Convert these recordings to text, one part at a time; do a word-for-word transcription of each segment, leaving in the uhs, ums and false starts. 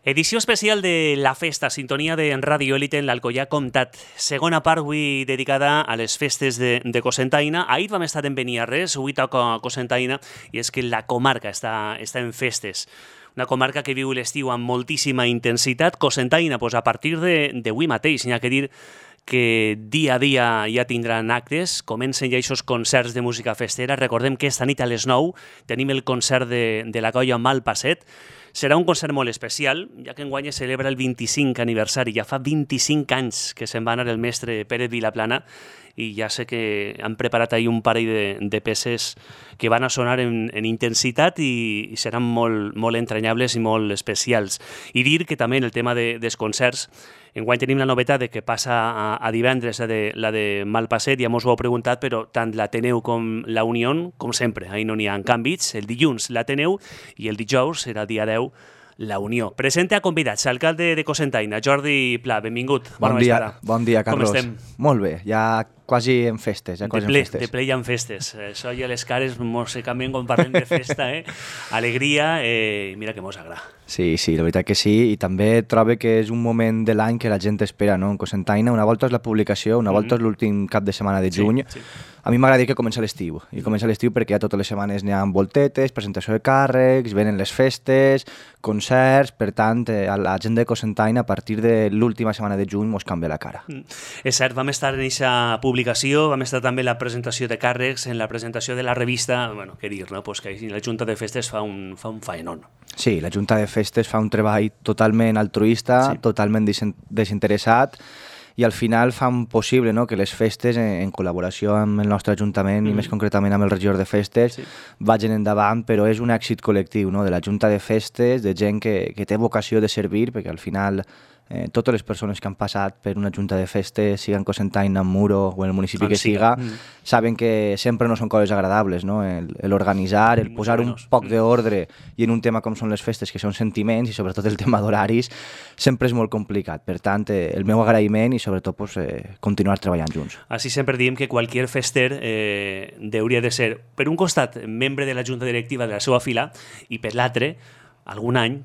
Edició especial de La Festa, sintonia de Ràdio Élite en l'Alcoià Comtat. Segona part avui dedicada a les festes de, de Cocentaina. Ahir vam estar en Beniarrés, avui toca Cocentaina, i és que la comarca està, està en festes. Una comarca que viu l'estiu amb moltíssima intensitat. Cocentaina, doncs a partir d'avui mateix, n'hi ha que dir que dia a dia ja tindran actes, comencen ja aquests concerts de música festera. Recordem que esta nit a les nou tenim el concert de, de la colla Malpasset. Serà un concert molt especial, ja que enguany es celebra el vint-i-cinquè aniversari. Ja fa vint-i-cinc anys que se'n va anar el mestre Pérez Vilaplana i ja sé que han preparat ahir un parell de, de peces que van a sonar en, en intensitat i, i seran molt, molt entranyables i molt especials. I dir que també en el tema de, dels concerts, enguany tenim la novetat de que passa a, a divendres la de, la de Malpasset, ja mos ho heu preguntat, però tant l'Ateneu com la Unió, com sempre, ahir no n'hi ha canvis. El dilluns l'Ateneu i el dijous serà el dia deu la Unió. Presente a convidats, alcalde de Cocentaina, Jordi Pla, benvingut. Bon Bona dia, vesprada. bon dia, Carlos. Com estem? Molt bé, ja quasi en festes. Ja quasi de ple, en festes. de ple i en festes. Això ja les cares mos se canvien quan parlem de festa, eh? Alegria, eh? Mira que mos agrada. Sí, sí, la veritat que sí, i també trobo que és un moment de l'any que la gent espera, no? En Cocentaina, una volta és la publicació, una volta mm-hmm. és l'últim cap de setmana de juny. Sí, sí. A mi m'agrada dir que comença l'estiu, i comença l'estiu perquè ja totes les setmanes n'hi ha voltetes, presentació de càrrecs, venen les festes, concerts, per tant, a la gent de Cocentaina a partir de l'última setmana de juny mos canvia la cara. Mm. És cert, vam estar en aquesta publicació, vam estar també en la presentació de càrrecs, en la presentació de la revista, bueno, què dir, no? Pues que la Junta de Festes fa un, fa un faenón. Sí, la Junta de Festes fa un treball totalment altruista, sí. totalment desinteressat, i al final fan possible, no?, que les festes, en, en col·laboració amb el nostre Ajuntament mm-hmm. i més concretament amb el regidor de festes, sí. vagin endavant, però és un èxit col·lectiu, no?, de la Junta de Festes, de gent que, que té vocació de servir, perquè al final eh, totes les persones que han passat per una Junta de Festes, siga en Cocentaina, en Muro o en el municipi on que siga, mm. saben que sempre no són coses agradables, no?, l'organitzar, el, el posar un poc mm. d'ordre i en un tema com són les festes, que són sentiments i sobretot el tema d'horaris, sempre és molt complicat. Per tant, eh, el meu agraïment i sobretot pues, eh, continuar treballant junts. Així sempre diem que qualsevol fester eh, hauria de ser, per un costat, membre de la Junta Directiva de la seva fila i per l'altre, algun any,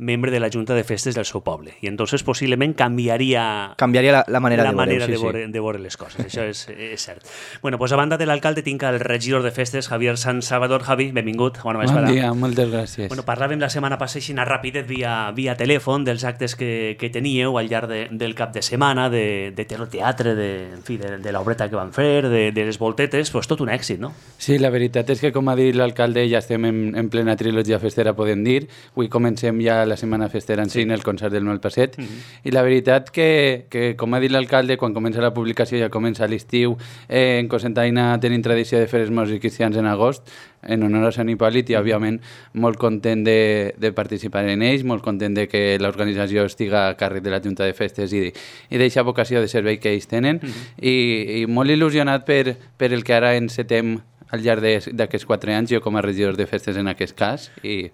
membre de la Junta de Festes del seu poble. I entonces possiblement canviaria, canviaria la, la manera, la de, manera veure, de, sí, veure, sí. de veure les coses. Això és, és cert. Bueno, pues a banda de l'alcalde tinc el regidor de festes, Javier San Salvador. Javi, benvingut. Bona vesprada. Bon dia, moltes gràcies. Bueno, parlàvem la setmana passada ràpidet via, via telèfon dels actes que, que teníeu al llarg de, del cap de setmana, de, de teatre, de, en fi, de, de l'obreta que van fer, de, de les voltetes, pues tot un èxit, no? Sí, la veritat és que, com ha dit l'alcalde, ja estem en, en plena trilogia festera, podem dir. Avui comencem ja la setmana festera en sí, en el concert del Malpasset, mm-hmm. i la veritat que, que, com ha dit l'alcalde, quan comença la publicació ja comença l'estiu, eh, en Cocentaina tenim tradició de fer els morts cristians en agost, en honor a Sant Hipòlit, i òbviament molt content de, de participar en ells, molt content de que l'organització estiga a càrrec de la Junta de Festes i, i d'aquesta vocació de servei que ells tenen, mm-hmm. i, i molt il·lusionat per, per el que ara encetem al llarg d'aquests quatre anys, jo com a regidor de festes en aquest cas, i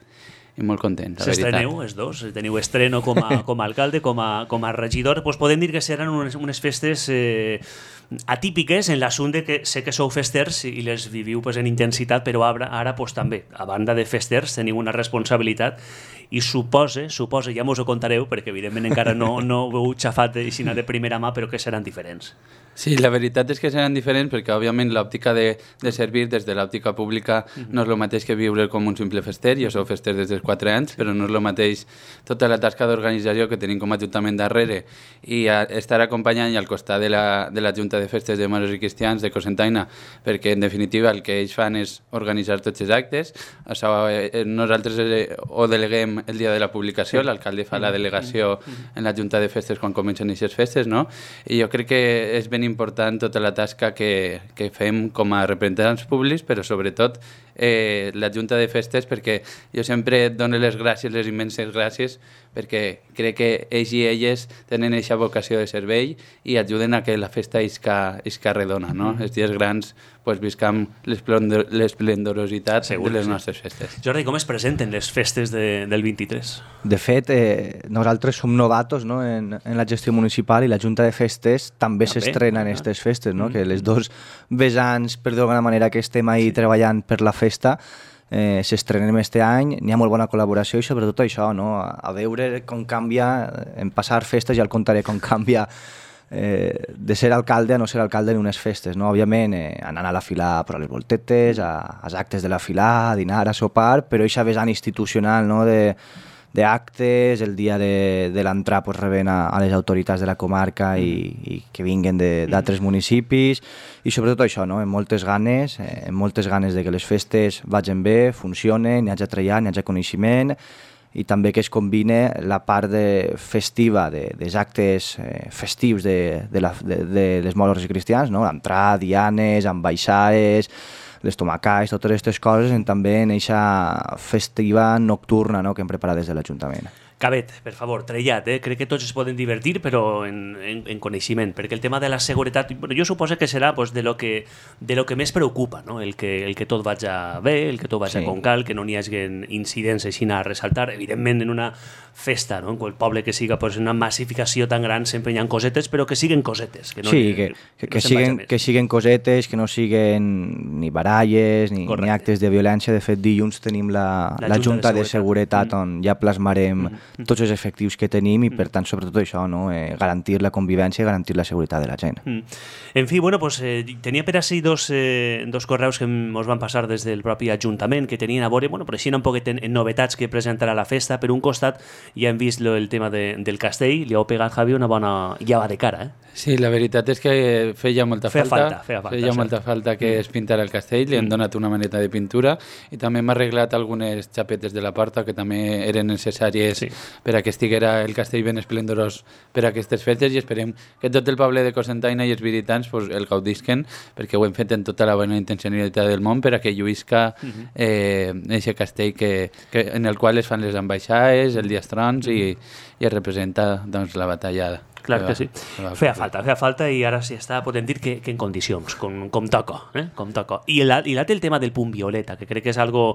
i molt content, la veritat. S'estreneu, els dos, teniu estreno com a, com a alcalde, com a, com a regidor, doncs podem dir que seran unes, unes festes eh, atípiques en l'assumpte que sé que sou festers i les viviu pues, en intensitat, però ara, ara pues, també, a banda de festers, teniu una responsabilitat i supose, supose, ja mos ho contareu, perquè evidentment encara no, no ho heu xafat així de primera mà, però que seran diferents. Sí, la veritat és que seran diferents perquè, òbviament, l'òptica de, de servir des de l'òptica pública mm-hmm. no és el mateix que viure com un simple fester. Jo sou fester des dels quatre anys, però no és el mateix tota la tasca d'organització que tenim com a Ajuntament darrere i a estar acompanyant i al costat de la, de la Junta de Festes de Moros i Cristians de Cocentaina, perquè, en definitiva, el que ells fan és organitzar tots els actes. Això, eh, nosaltres eh, ho deleguem el dia de la publicació, l'alcalde fa la delegació en la Junta de Festes quan comencen aquestes festes, no? I jo crec que és ben important tota la tasca que, que fem com a representants públics, però sobretot eh, la Junta de Festes, perquè jo sempre dono les gràcies, les immenses gràcies, perquè crec que ells i elles tenen aquesta vocació de servei i ajuden a que la festa isca, isca redona, no? Els dies grans pues, viscam l'esplendorositat de les nostres festes. Jordi, com es presenten les festes de, del vint-i-tres? De fet, eh, nosaltres som novatos, no?, en, en la gestió municipal i la Junta de Festes també s'estrena en aquestes festes, no? Mm. Que les dos vessants, per d'alguna manera, que estem ahí sí. treballant per la festa, eh, s'estrenem este any, n'hi ha molt bona col·laboració i sobretot això, no? a, a veure com canvia, en passar festes ja el contaré com canvia eh, de ser alcalde a no ser alcalde en unes festes, no? Òbviament eh, anant a la fila per a les voltetes, a, als actes de la fila, a dinar, a sopar, però aquesta vessant institucional, no? de, d'actes, el dia de, de l'entrar pues, rebent a, a les autoritats de la comarca i, i que vinguen d'altres municipis i sobretot això, no? amb moltes ganes, eh, amb moltes ganes de que les festes vagin bé, funcionen, n'hi hagi treballar, n'hi hagi coneixement i també que es combine la part de festiva de, dels actes eh, festius de, de, la, de, de les moles cristians, no? L'entrar, dianes, ambaixades, les tomacais, totes aquestes coses, en també en aquesta festiva nocturna, no?, que hem preparat des de l'Ajuntament. Cabet, per favor, trellat, eh? Crec que tots es poden divertir, però en, en, en coneixement, perquè el tema de la seguretat, bueno, jo suposo que serà pues, de, lo que, de lo que més preocupa, no? el, que, el que tot vagi bé, el que tot vagi sí. com cal, que no n'hi hagi incidents així a ressaltar. Evidentment, en una festa, no? en qual poble que siga pues, una massificació tan gran, sempre hi ha cosetes, però que siguen cosetes. Que no, sí, que, que, que, no siguen, que siguen cosetes, que no siguen ni baralles, ni, ni actes de violència. De fet, dilluns tenim la, la, la Junta de Seguretat, de seguretat mm. on ja plasmarem mm. tots els efectius que tenim i, per tant, sobretot això, no? eh, garantir la convivència i garantir la seguretat de la gent. Mm. En fi, bueno, pues, eh, tenia per així dos, eh, dos correus que ens van passar des del propi Ajuntament, que tenien a veure, bueno, però així un poquet en, en novetats que presentarà la festa. Per un costat, ja hem vist lo, el tema de, del castell, li heu pegat, Javi, una bona llava de cara, eh? Sí, la veritat és que feia molta feia falta, falta, feia falta, feia molta falta que es pintara el castell, li hem donat una maneta de pintura i també hem arreglat algunes xapetes de la porta que també eren necessàries sí. per a que estiguera el castell ben esplendorós per a aquestes festes i esperem que tot el poble de Cocentaina i els visitants pues, el gaudisquen perquè ho hem fet en tota la bona intencionalitat del món per a que lluïsca eh, aquest castell que, que, en el qual es fan les ambaixades, el Diastrons i, i es representa doncs, la batalla. Clar que sí. Feia falta, feia falta i ara sí està podem dir que, que en condicions, com, com toca, eh? com toca. I l'altre el tema del punt violeta, que crec que és algo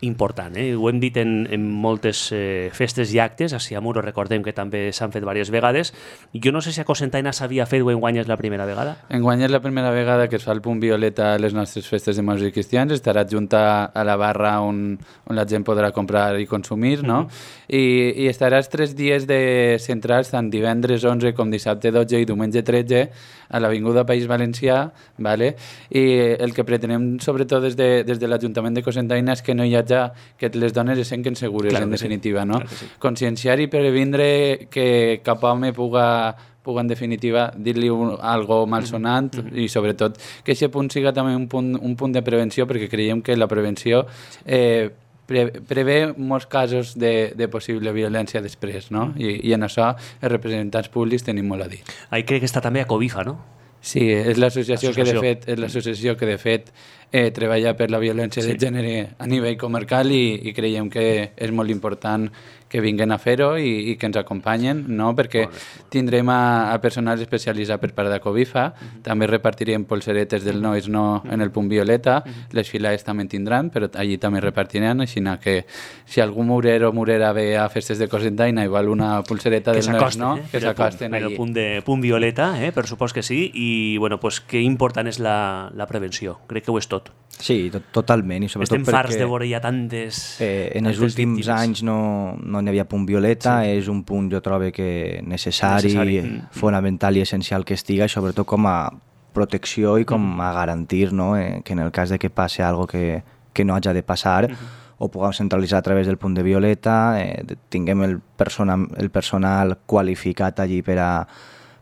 important, eh? Ho hem dit en, en moltes eh, festes i actes, a Siamuro recordem que també s'han fet diverses vegades. Jo no sé si a Cocentaina s'havia fet o enguany és la primera vegada. Enguany és la primera vegada que es fa el punt violeta a les nostres festes de morts i cristians, estarà adjunta a la barra on, on la gent podrà comprar i consumir, no? Mm-hmm. I, i estarà els tres dies de centrals, tant divendres onze com dissabte dotze i diumenge tretze, a l'Avinguda País Valencià, vale? I el que pretenem sobretot des de, des de l'Ajuntament de Cocentaina és que no hi hagi que les dones es senten segures, claro en definitiva, sí. no? Claro sí. Conscienciar i previndre que cap home puga, puga en definitiva, dir-li un, algo malsonant mm -hmm. i sobretot que aquest punt siga també un punt, un punt de prevenció perquè creiem que la prevenció eh, pre, prevé molts casos de, de possible violència després, no? I, i en això els representants públics tenim molt a dir. Ahí crec que està també a Cobifa, no? Sí, és l'associació que de fet és l'associació que de fet eh, treballa per la violència sí. de gènere a nivell comarcal i, i creiem que és molt important que vinguen a fer-ho i, i que ens acompanyen, no? Perquè bon, bon. tindrem a, a personal especialitzat per part de Cobifa, uh-huh. també repartirem polseretes del no és no uh-huh. en el punt violeta, uh-huh. les filades també en tindran, però allí també repartiran, així que si algú murer o murera ve a festes de Cocentaina i vol una polsereta del no és no, eh? que s'acosten allí. En el punt, de, punt violeta, eh? per supòs que sí, i bueno, pues, que important és la, la prevenció, crec que ho és tot. Sí, to totalment. I sobretot estem farts de veure ja tantes... Eh, en els últims víctimes. anys no, no n'hi havia punt violeta, sí. és un punt, jo trobo que necessari, necessari. Mm. fonamental i essencial que estiga, i sobretot com a protecció i com mm. a garantir, no? eh, que en el cas de que passi algo que, que no hagi de passar, mm-hmm. ho puguem centralitzar a través del punt de violeta, eh, tinguem el, persona, el personal qualificat allí per a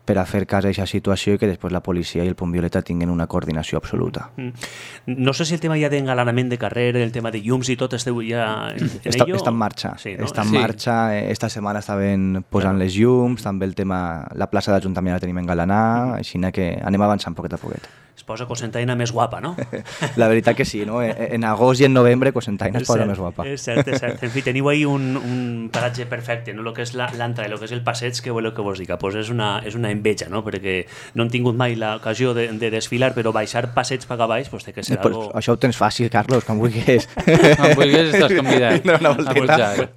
per a fer cas a aquesta situació i que després la policia i el punt violeta tinguin una coordinació absoluta. Mm. No sé si el tema ja d'engalanament de carrer, el tema de llums i tot, esteu ja en, en està, ello? Està en marxa. Sí, no? Està en sí. marxa. Esta setmana estaven posant les llums, també el tema, la plaça d'Ajuntament la tenim engalanada, així que anem avançant poquet a poquet. Es posa Cocentaina més guapa, no? La veritat que sí, no? En agost i en novembre Cocentaina es posa més guapa. És cert, és cert. En fi, teniu ahí un, un paratge perfecte, no? El que és l'entrada i el que és el passeig, que voleu que vos diga? Pues és una, és una enveja, no? Perquè no hem tingut mai l'ocasió de, de desfilar, però baixar passeig per baix pues, té que ser pues algo... Això ho tens fàcil, Carlos, com vulguis. Com vulguis estàs convidat no, no, a pujar.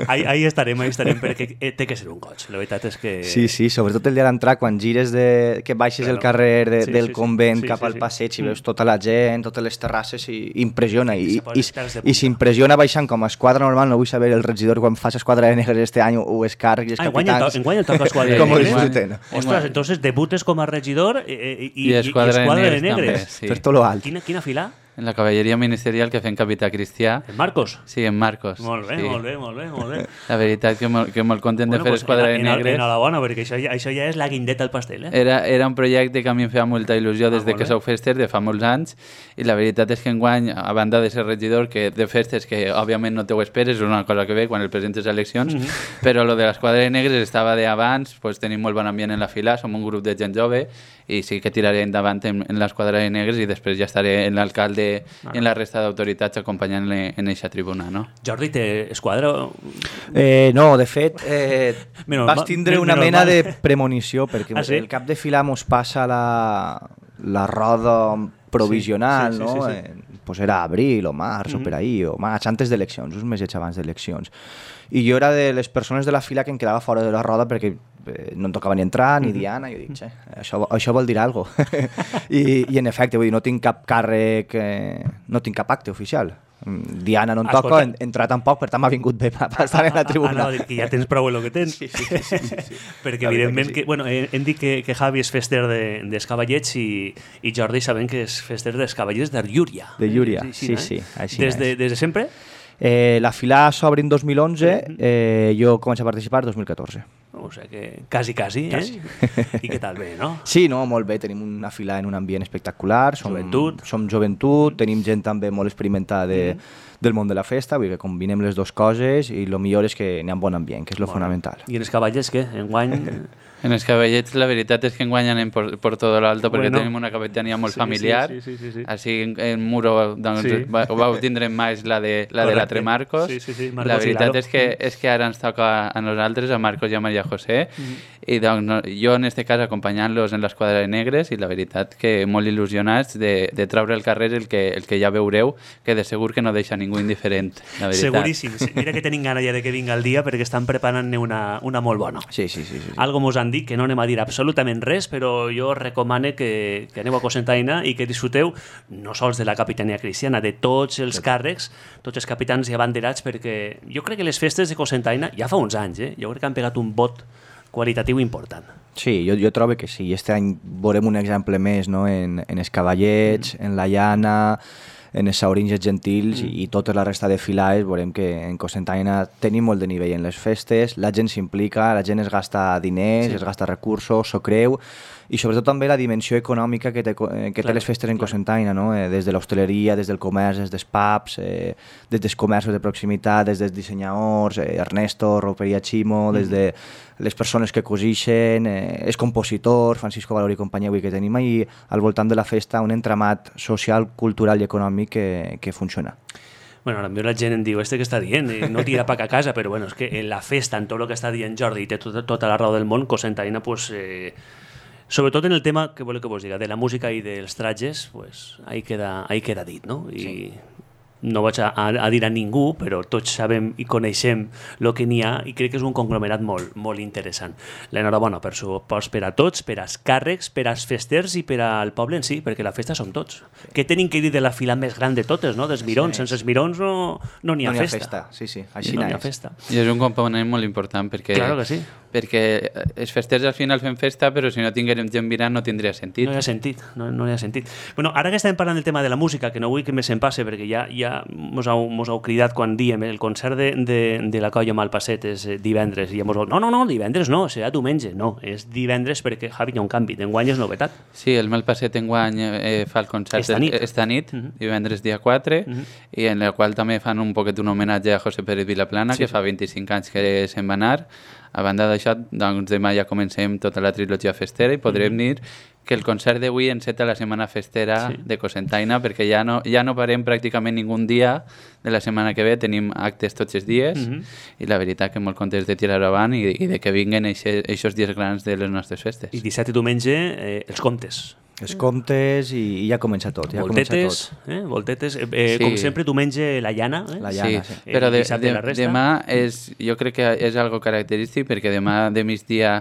Ahí, ahí estarem, ahí estarem, perquè té que ser un goig. La veritat és que... Sí, sí, sobretot el dia d'entrar, quan gires de... que baixes claro. el carrer de, sí, del sí, convent corrent sí, cap sí, al sí. passeig i Mm. veus tota la gent, totes les terrasses, i impressiona. I I, se posen i, els pèls de i punta. s'impressiona baixant com a esquadra normal. No vull saber el regidor quan fa esquadra de negres este any o els càrrecs i els Ah, enguany el, to capitans. enguany el toca esquadra de Com ho negres. disfruten. Ostres, entonces debutes com a regidor i, i, I esquadra de esquadra de negres també, negres. sí. Per tot lo alt. Quina, quina fila? En la cavalleria ministerial que fem capità Cristià. En Marcos? Sí, en Marcos. Molt bé, sí. molt bé, molt bé, molt bé. La veritat que molt, que molt content de fer pues, esquadra de en, negres. enhorabona, perquè això ja, això ja és la guindeta al pastel, eh? Era, era un projecte que a mi em feia molta il·lusió des Ah, de molt que bé. sou fester, de fa molts anys, i la veritat és que enguany, a banda de ser regidor, que de festes que òbviament no te ho esperes, és una cosa que ve quan el presentes a eleccions, mm -hmm. però lo de l'esquadra de negres estava d'abans, pues, tenim molt bon ambient en la fila, som un grup de gent jove, i sí que tiraré endavant en, en l'esquadra de negres i després ja estaré en l'alcalde ah. i en la resta d'autoritats acompanyant-le en eixa tribuna, no? Jordi, té esquadra? Eh, no, de fet, eh, Menos vas mal- tindre men- una menos mena mal. de premonició, perquè Ah, sí? el cap de fila mos passa la, la roda provisional, Sí, sí, no? sí, sí, sí. Eh, pues era abril o març o per ahí, o maig, antes d'eleccions, uns mesos abans d'eleccions. I jo era de les persones de la fila que em quedava fora de la roda perquè eh, no em tocava ni entrar ni Diana, i jo dic, "Xe, això, això vol dir alguna cosa." I, I en efecte, vull dir, no tinc cap càrrec, eh, no tinc cap acte oficial. Mm, Diana no em Escolta. toca, en, entrar tampoc, per tant m'ha vingut bé per estar en la tribuna. Ah, no, dic que ja tens prou el que tens. Sí, sí, sí, sí, sí, sí. Perquè La veritat evidentment que que, sí. bueno, hem, hem dit que, que Javi és fester de, dels Cavallets i, i Jordi sabem que és fester dels Cavallets de Llúria. De Llúria, Eh, sí, sí, així Des de, és. des de sempre? Eh, la fila s'obre en dos mil onze, eh, jo començo a participar en dos mil catorze. O sigui que quasi, quasi, eh? Quasi. I què tal bé, no? Sí, no, molt bé, tenim una fila en un ambient espectacular, som Joventut. som joventut, tenim gent també molt experimentada de, del món de la festa, vull dir que combinem les dues coses i el millor és que n'hi ha un bon ambient, que és lo fonamental. I en els Cavallets, què? Enguany... En els cavallets la veritat és que enguany anem por, por todo lo alto perquè Bueno. tenim una capitania molt Sí, familiar. sí, sí, sí, sí. Així en, en Muro doncs, Sí. va, ho vau tindre més la de la de la Correcte. Tremarcos. Sí, sí, sí, la Marcos i veritat Lalo. és que, és que ara ens toca a nosaltres, a Marcos i a Maria José, Mm-hmm. i doncs, no, jo en este cas acompanyant-los en l'esquadra de negres i la veritat que molt il·lusionats de, de treure al carrer el que, el que ja veureu, que de segur que no deixa ningú indiferent, la veritat. Seguríssim. Sí. Mira que tenim gana ja de que vinga el dia perquè estan preparant-ne una, una molt bona. Sí, sí, sí. sí, sí. Algo mos han dit que no anem a dir absolutament res, però jo recomane que, que aneu a Cocentaina i que disfruteu no sols de la capitania cristiana, de tots els càrrecs, tots els capitans i abanderats, perquè jo crec que les festes de Cocentaina, ja fa uns anys, eh, jo crec que han pegat un bot qualitatiu important. Sí, jo, jo trobo que sí. I este any veurem un exemple més, no? en, en els Cavallets, mm. en la Llana, en els Sauringes Gentils mm. i, i tota la resta de filades. Veurem que en Cocentaina tenim molt de nivell en les festes, la gent s'implica, la gent es gasta diners, sí. es gasta recursos, s'ho creu, i sobretot també la dimensió econòmica que té, que té Claro, les festes en claro. Cocentaina, no? eh, des de l'hostaleria, des del comerç, des dels pubs, eh, des dels comerços de proximitat, des dels dissenyadors, eh, Ernesto, Roperia Chimo, des de les persones que cosixen, eh, els compositors, Francisco Valori i companyia, vull dir que tenim ahí al voltant de la festa un entramat social, cultural i econòmic que, que funciona. Bueno, potser la gent em diu, este que està dient, i no tira pac a casa, però bueno, és que en la festa, en tot el que està dient Jordi, i té tota, tota la raó del món, Cocentaina, pues, eh, sobretot en el tema, que voleu que vos diga, de la música i dels tratges, pues, ahí queda, ahí queda dit, no? I sí. No vaig a, a dir a ningú, però tots sabem i coneixem el que n'hi ha i crec que és un conglomerat molt, molt interessant. L'enhorabona per, su, per a tots, per als càrrecs, per als festers i per al poble en si, perquè la festa som tots. Què tenim que dir de la fila més gran de totes, no? Dels mirons. Sí. Sense els mirons no n'hi no ha, no festa. festa. Sí, sí, així no n'hi ha n'és. festa. I és un component molt important perquè, Claro que sí. perquè els festers al final fem festa, però si no tinguérem gent mirant no tindria sentit. No hi ha sentit, no, no hi ha sentit. Bueno, ara que estem parlant del tema de la música, que no vull que me se'n passe, perquè ja, ja mos, heu, mos heu cridat quan diem el concert de, de, de la colla Malpasset és divendres, i ja mos heu... No, no, no, divendres no, serà diumenge. No, és divendres perquè, Javi, hi ha un canvi. D'enguany és novetat. Sí, el Malpasset enguany eh, fa el concert Esta nit. esta nit, Uh -huh. divendres dia quatre, Uh -huh. i en la qual també fan un poquet un homenatge a José Pérez Vilaplana, Sí, que sí. fa vint-i-cinc anys que se'n va anar. A banda d'això, doncs demà ja comencem tota la trilogia festera i podrem Uh -huh. dir que el concert d'avui enceta la setmana festera Sí. de Cocentaina, perquè ja no, ja no parem pràcticament ningú dia de la setmana que ve, tenim actes tots els dies, Uh -huh. i la veritat que molt contents de tirar avant i, i de que vinguen aquests dies grans de les nostres festes. I dissabte i diumenge, eh, els contes. Els comptes i, i ja comença tot. Ja voltetes, comença tot. Eh? Voltetes. Eh, sí. Com sempre, tu menges la llana. Eh? La llana, sí. sí. Però de, de, la demà és, jo crec que és algo característic perquè demà de migdia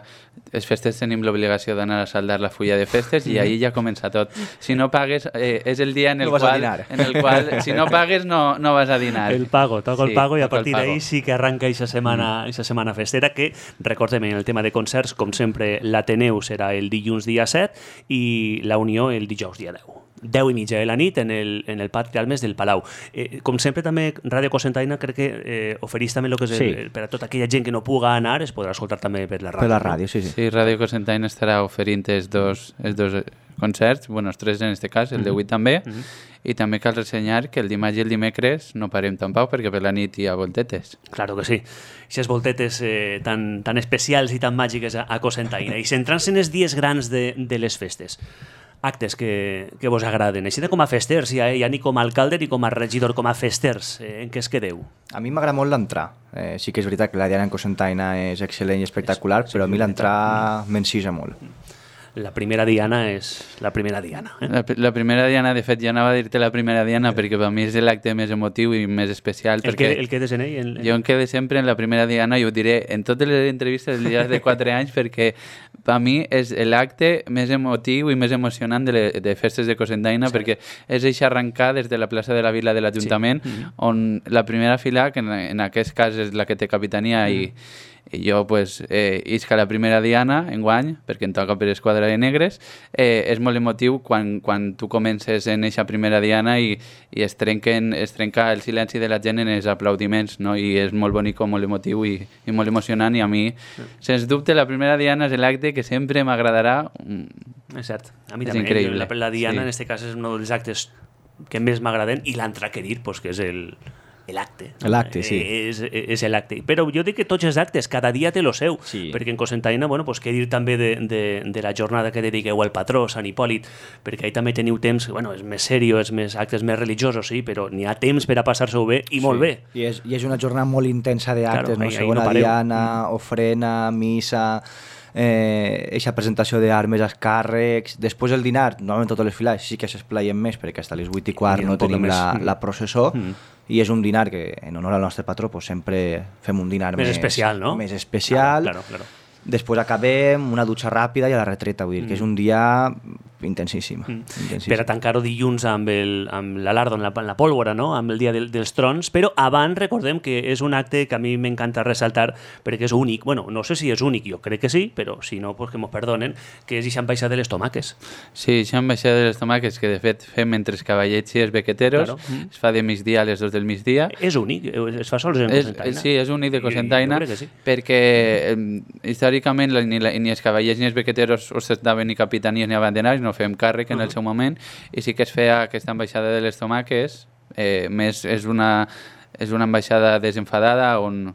les festes tenim l'obligació d'anar a saldar la fulla de festes i ahir ja comença tot. Si no pagues, eh, és el dia en el, no qual, en el qual, si no pagues, no, no vas a dinar. El pago, toca sí, el pago i a partir d'ahir sí que arranca aquesta setmana, mm. setmana festera que, recordem, en el tema de concerts, com sempre, l'Ateneu serà el dilluns dia set i la Unió el dijous dia deu. deu i mitja de la nit en el, en el Pati Almes del Palau. Eh, com sempre, també, Ràdio Cocentaina crec que eh, ofereix també el que és el, sí. per a tota aquella gent que no puga anar, es podrà escoltar també per la ràdio. Per la ràdio, no? sí, sí. Sí, Ràdio Cocentaina estarà oferint els dos, els dos concerts, bueno, els tres en este cas, el de avui també, mm -hmm. i també cal ressenyar que el dimarts i el dimecres no parem tampoc perquè per la nit hi ha voltetes. Claro que sí. Aquestes voltetes eh, tan, tan especials i tan màgiques a, a Cocentaina. I centrant-se en els dies grans de, de les festes, actes que, que vos agraden. Així de com a festers, ja, ja ni com a alcalde ni com a regidor, com a festers, eh, en què es quedeu? A mi m'agrada molt l'entrar. Eh, sí que és veritat que la diana en Cocentaina és excel·lent i espectacular, és, però a mi l'entrar m'encisa molt. La primera diana és la primera diana. Eh? La, la primera diana, de fet, jo anava a dir-te la primera diana perquè per mi és l'acte més emotiu i més especial. El, perquè que, el quedes en ell? En, en... Jo em quedo sempre en la primera diana i ho diré en totes les entrevistes dels dies de quatre anys perquè per mi és l'acte més emotiu i més emocionant de, le, de festes de Cocentaina sí. perquè és això arrencar des de la plaça de la Vila de l'Ajuntament sí. mm-hmm. on la primera fila, que en, en aquest cas és la que té capitania mm. i i jo pues, eh, isca la primera diana enguany, perquè em toca per Esquadra de Negres, eh, és molt emotiu quan, quan tu comences en eixa primera diana i, i es, trenquen, es trenca el silenci de la gent en els aplaudiments, no? I és molt bonic, molt emotiu i, i molt emocionant, i a mi, sí. sens dubte, la primera diana és l'acte que sempre m'agradarà. És cert, a mi és també. Increïble. La, la diana, sí. en aquest cas, és un dels actes que més m'agraden, i l'entraquerir, pues, que és el... l'acte. L'acte, sí. És, és l'acte. Però jo dic que tots els actes, cada dia té lo seu, sí. perquè en Cocentaina, bueno, pues, què dir també de, de, de la jornada que dediqueu al patró, Sant Hipòlit, perquè ahí també teniu temps, bueno, és més serio, és més actes més religiosos, sí, però n'hi ha temps per a passar-se-ho bé, i sí. molt bé. I és, I és una jornada molt intensa d'actes, claro, no? Segona no diana, mm. ofrena, missa... Eh, eixa presentació d'armes als càrrecs, després el dinar, normalment totes les files sí que s'esplaien més perquè fins a les vuit i quart no tenim la, la processó mm. i és un dinar que en honor al nostre patró pues, sempre fem un dinar més, més especial, no? Més especial. Claro, claro, claro. Després acabem, una dutxa ràpida i a la retreta, vull dir mm. que és un dia intensíssim. Mm. intensíssim. Per a tancar-ho dilluns amb l'alardo, amb, amb la pólvora, no? Amb el dia del, dels trons, però abans recordem que és un acte que a mi m'encanta ressaltar perquè és únic, bueno, no sé si és únic, jo crec que sí, però si no, pues que m'ho perdonen, que és aquesta ambaixada de les tomaques. Sí, aquesta ambaixada de les tomaques que de fet fem entre els cavallets i els bequeteros, claro. mm. es fa de migdia a les dos del migdia. És únic, es fa sols en Cocentaina. Sí, és únic de Cocentaina, sí. perquè eh, històricament ni, la, ni els cavallets ni els bequeteros ostentaven ni capitanies ni abanderats, no fem càrrec en el seu moment, i sí que es feia aquesta ambaixada de les tomaques, eh, més és una, és una ambaixada desenfadada on,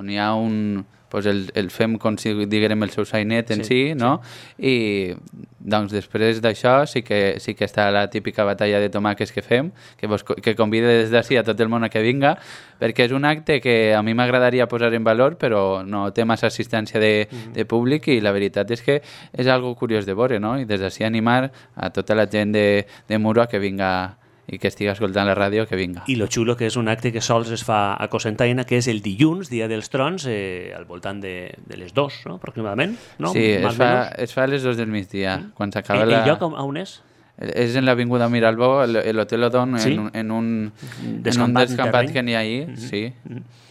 on hi ha un... Pues el, el fem com si diguem el seu sainet en sí, sí no? Sí. I doncs després d'això sí que, sí que està la típica batalla de tomaques que fem, que, vos, que convida des d'ací a tot el món a que vinga, perquè és un acte que a mi m'agradaria posar en valor, però no té massa assistència de, mm-hmm. de públic, i la veritat és que és algo curiós de veure, no? I des d'ací animar a tota la gent de, de Muro a que vinga i que estigui escoltant la ràdio, que vinga. I lo xulo que és un acte que sols es fa a Cocentaina, que és el dilluns, dia dels trons, eh, al voltant de, de les dos, no? Aproximadament. No? Sí, es fa, es fa a les dos del migdia, mm. quan s'acaba el, la... El lloc on és? És en l'Avinguda Miralbó, l'Hotel Odon, sí? en, en un, en un descampat que n'hi ha ahí, mm-hmm. sí. Mm-hmm.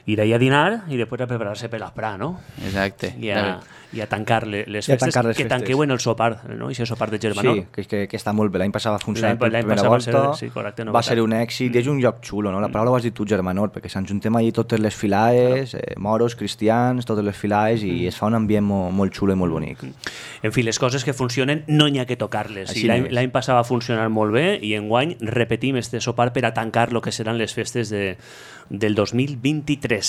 Ir allà a dinar i després a preparar-se per l'esprà, no? Exacte. I a, i a tancar les festes, tancar les que festes. Tanqueu en el sopar, no? I sopar de Germanor. Sí, que, que, que està molt bé. L'any passat va funcionar per primera volta, ser, sí, correcte, no va ser un èxit, mm. i és un lloc xulo, no? La paraula ho has dit tu, Germanor, perquè s'enjuntem allí totes les filaes, claro. eh, moros, cristians, totes les filaes, mm. i es fa un ambient molt, molt xulo i molt bonic. En fi, les coses que funcionen no n'hi ha que tocar-les. L'any passat va funcionar molt bé, i enguany repetim este sopar per a tancar el que seran les festes de, del dos mil vint-i-tres.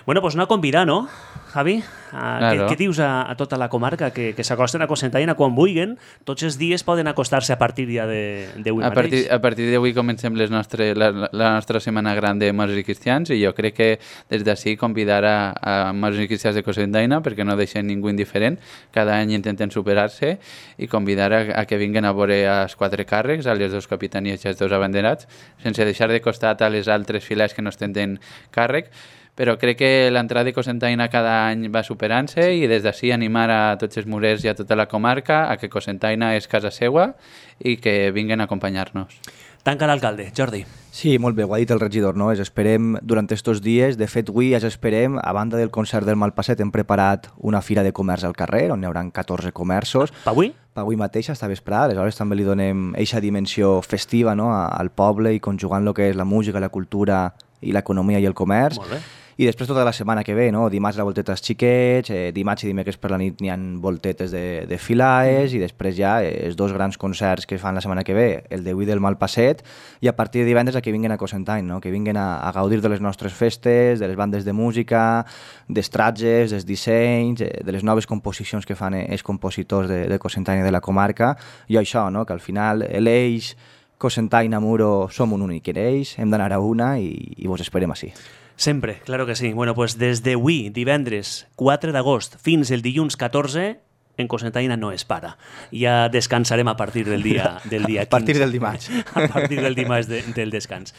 Bueno, pues anar a convidar, no, Javi? Claro. Què, què dius a, a tota la comarca que, que s'acosten a Cocentaina quan vulguin? Tots els dies poden acostar-se a partir ja d'avui mateix. Partir, a partir d'avui comencem les nostre, la, la nostra setmana gran de Mossos i Cristians i jo crec que des d'ací convidar a, a Mossos i Cristians de Cocentaina perquè no deixen ningú indiferent. Cada any intenten superar-se i convidar a, a que vinguin a veure els quatre càrrecs, a les dues capitanies i els dos abanderats, sense deixar de costat a les altres files que no ostenten càrrec, però crec que l'entrada de Cocentaina cada any va superant-se i des d'ací animar a tots els murers i a tota la comarca a que Cocentaina és casa seua i que vinguin a acompanyar-nos. Tanca l'alcalde, Jordi. Sí, molt bé, ho ha dit el regidor, no? Es esperem durant aquests dies, de fet avui ja esperem, a banda del concert del Malpasset hem preparat una fira de comerç al carrer on hi haurà catorze comerços. Per avui? Per avui mateix, esta vesprada, aleshores també li donem eixa dimensió festiva, no? al poble i conjugant el que és la música, la cultura i l'economia i el comerç. Molt bé. I després tota la setmana que ve, no? Dimarts la volteta als xiquets, eh, dimarts i dimecres per la nit n'hi ha voltetes de, de filaes i després ja eh, els dos grans concerts que fan la setmana que ve, el d'avui del Malpasset i a partir de divendres a que vinguin a Cocentaina, no? Que vinguin a, a gaudir de les nostres festes, de les bandes de música, dels tratges, dels dissenys, eh, de les noves composicions que fan eh, els compositors de, de Cocentaina i de la comarca i això, no? Que al final l'eix Cocentaina Muro som un únic eix, hem d'anar a una i, i vos esperem així. Sempre, claro que sí. Bueno, pues des d'avui, divendres quatre d'agost, fins el dilluns catorze, en Cocentaina no es para. Ja descansarem a partir del dia, del dia quinze. A partir del dimarts. A partir del dimarts de, del descans.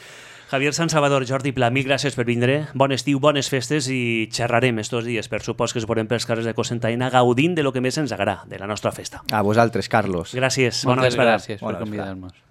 Javier San Salvador, Jordi Pla, mil gràcies per vindre. Bon estiu, bones festes i xerrarem estos dies. Per supost que es veurem pels carrers de Cocentaina gaudint de lo que més ens agrada, de la nostra festa. A vosaltres, Carlos. Gràcies. Moltes gràcies per convidar-nos.